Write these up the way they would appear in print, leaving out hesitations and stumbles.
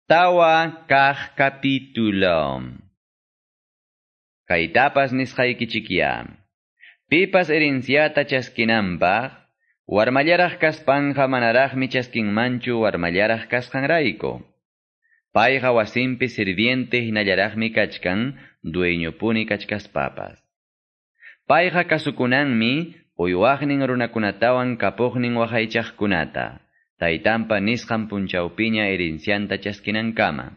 Tawa kaq capítulo. Kaytapas nisqaykichikya. Pipas herenciata chaskinanpaq, warmallaraq kaspanja manaraqmi chaskinmanchu warmallaraq kasqanrayku. Payqa wasinpi sirviente hinallaraqmi kachkan, dueñopuni kachkaspapas. Payqa kasukunanmi uywaqnin runakunatawan kapuqnin waqaychaqkunata. Taytanpa nisqan punchawpiña herencianta chaskinankama.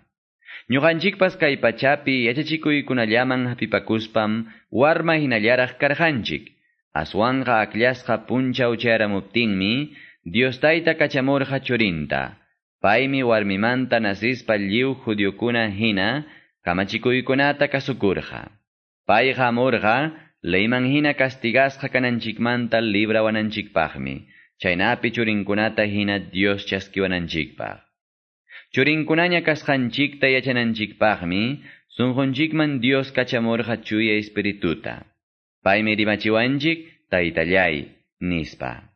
Ñuqanchikpas kay pachapi yachachikuykunallaman hapipakuspam warma hinallaraq karqanchik. Aswanqa akllasqa punchaw chayaramuptinmi Dios Tayta kachamurqa churinta. Paymi warmimanta nasispa lliw judiokuna hina kamachikuykunata kasukurqa. Payqa hamurqa leyman hina castigasqa kananchikmanta librawananchikpaqmi. Chaynapi churinkunata hina Dios chaskiwananchikpaq. Churinkunaña kasqanchikta yachananchikpaqmi sunqunchikman Dios kachamurqa chuya espirituta. Paymi rimachiwanchik taytallay nispa.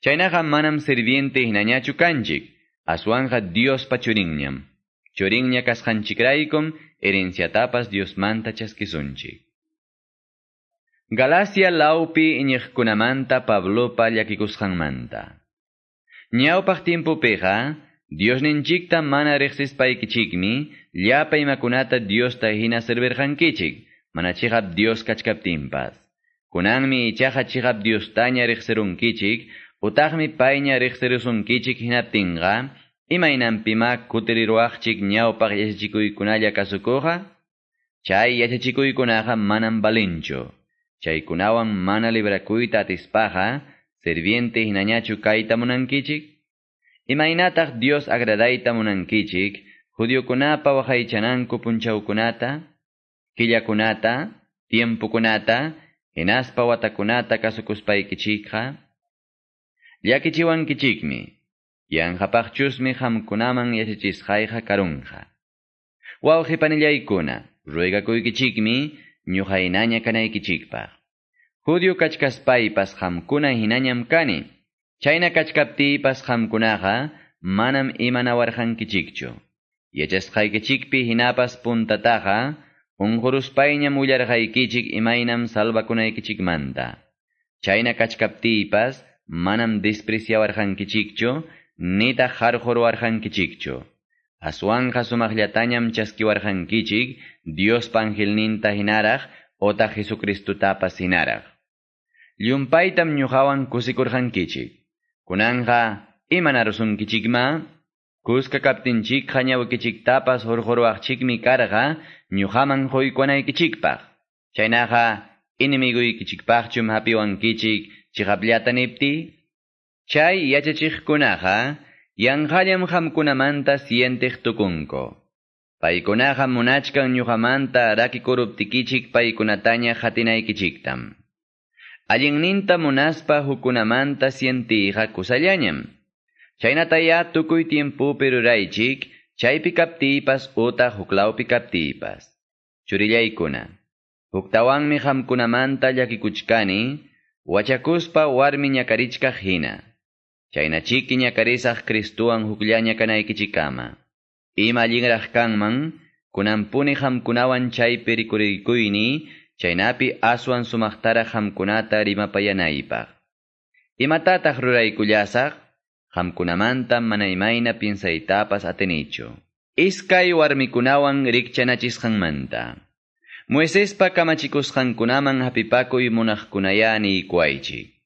Chaynaqa manam sirviente hinañachu kanchik, aswanqa Diospa churinñam. Churinña kasqanchikraykum herenciatapas Diosmanta chaskisunchik. Galacia laupi iñiqkunamanta Pablopa llakikusqanmanta. Ñawpaq tiempopiqa, Diosninchikta mana riqsispaykichikmi, llapa imakunata Diosta hina servirqankichik, mana chiqap Dios kachkaptinpas. Kunanmi ichaqa chiqap Diostaña riqsirunkichik, utaqmi payña riqsirusunkichik hinaptinqa, imaynanpima kutiriruwaqchik ñawpaq yachachikuykunalla kasukuqa? Chay yachachikuykunaqa manam valinchu. Chaykunawan mana librakuyta atispaqa, sirviente hinañachu kayta munankichik? Imaynataq Dios agradayta munankichik, judiokunapa waqaychananku punchawkunata, killakunata, tiempokunata, hinaspa watakunata kasukuspaykichikqa? Llakichiwankichikmi, yanqapaqchusmi qamkunaman yachachisqayqa karunqa. Wawqi-panillaykuna, ruegakuykichikmi, ñuqaynaña kanaykichikpaq. Judio kachkaspaypas qamkuna hinañam kani. Chayna kachkaptiypas qamkunaqa manam imanawarqankichikchu. Yachasqaykichikpi hinapas puntataqa unquruspayñam willarqaykichik imaynam salvakunaykichikmanta. Chayna kachkaptiypas manam despreciawarqankichikchu nitaq harquruwarqankichikchu. Aswanqa sumaqllatañam chaskiwarqankichik Diospa angelninta hinaraq otaq Jesucristutapas hinaraq. Llumpaytam ñuqawan kusikurqankichik. Kunanqa imanarusunkichikma? Kuska kaptinchikqa ñawikichiktapas hurquruwaqchikmi karqa ñuqaman quykunaykichikpaq. Chaynaqa enemiguykichikpaqchum hapiwankichik chiqapllata nipti? Chay yachachiqkunaqa yanqallam qamkunamanta sientiq tukunku. Paykunaqa munachkan ñuqamanta rakikuruptikichik paykunataña qatinaykichiktam. Allinninta munaspa hukunamanta sientiyqa kusallañam. Chaynataya tukuy tiempopi ruraychik, chaypi kaptiypas utaq huklawpi kaptiypas. Churillaykuna, huktawanmi qamkunamanta llakikuchkani, wachakuspa warmi ñakarichkaq hina. Chaynachiki ñakarisaq Cristuwan hukllaña kanaykichikama. Ima allinraq kanman, kunanpuni qamkunawan chaypi rikurikuyni, chaynapi aswan sumaqtaraq qamkunata rimapayanaypaq. Imatataq ruraykullasaq? Qamkunamanta mana imayna piensaytapas atinichu. Iskay warmikunawan rikchanachisqanmanta. Moisespa kamachikusqankunaman hapipakuy munaqkunaya niykuwaychik.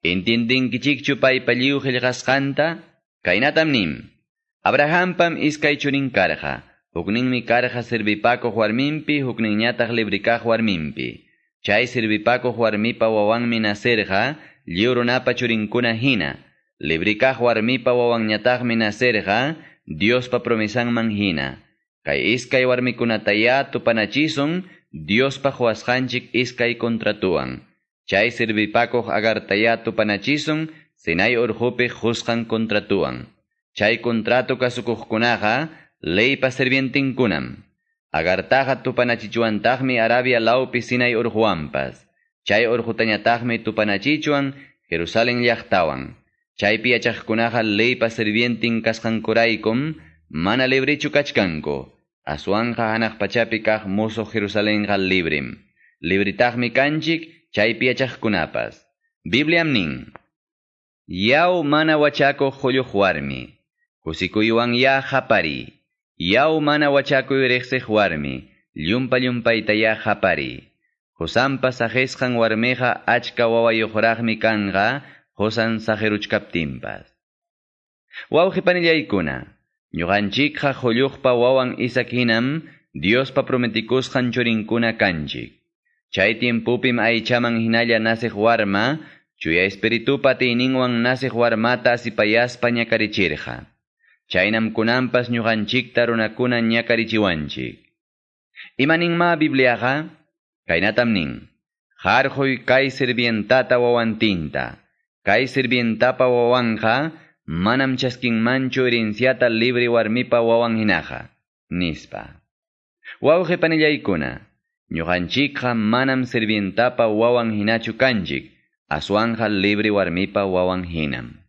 Entiendinkichikchu paypa lliw qillqasqanta? Kaynatam nin. Abrahampam iskay churin karqa. Hukninmi karqa sirvipakuq warminpi, hukninñataq librikaq warminpi. Chay sirvipakuq warmipa wawanmi nacerqa, lliw runapa churinkuna hina. Librikaq warmipa wawanñataqmi nacerqa, Diospa promesanman hina. Kay iskay warmikunataya tupanachisun, Diospa quwasqanchik iskay contratuwan. Chay sirvipakuq Agartaya tupanachisun, Sinai urqupi qusqan contratuwan. Chay contrato kasukuqkunaqa leypa sirvientinkunam. Agartaqa tupanachichuantaqmi Arabia lawpi Sinai urquwanpas. Chay urqutañataqmi tupanachichuan Jerusalén llaqtawan. Chaypi yachaqkunaqa leypa sirvientin kasqankuraykum mana librichu kachkanku. Aswanqa hanaq pachapi kaq musuq Jerusalenqa librim. Libritaqmi kanchik chaypi yachaqkunapas. Bibliam nin. Yaw mana wachakuq qulluq warmi. Kusikuywan ya qapari. Yaw mana wachakuy riqsiq warmi. Llumpa llumpayta ya qapari. Qusanpa saqisqan warmiqa achka wawayuqraqmi kanqa qusan saqiruchkaptinpas. Wawqi panillaykuna, ñuqanchikqa qulluqpa wawan Isaac hinam Diospa prometikusqan churinkuna kanchik. Chay tiempupim aychaman hinalla nasiq warma, chuya espiritupa atiyninwan nasiq warmata asipayaspa ñakarichirqa. Chaynam kunanpas ñuqanchikta runakuna ñakarichiwanchik. Imaninma Bibliaqa? Kaynatam nin. Harquy kay sirvientata wawantinta. Kay sirvientapa wawanqa manam chaskinmanchu herenciata libre warmipa wawan hinaqa. Nispa. Wawqi panillaykuna, ñuqanchikqa manam sirvientapa wawan hinachu kanchik, aswanqa libre warmipa wawan hinam.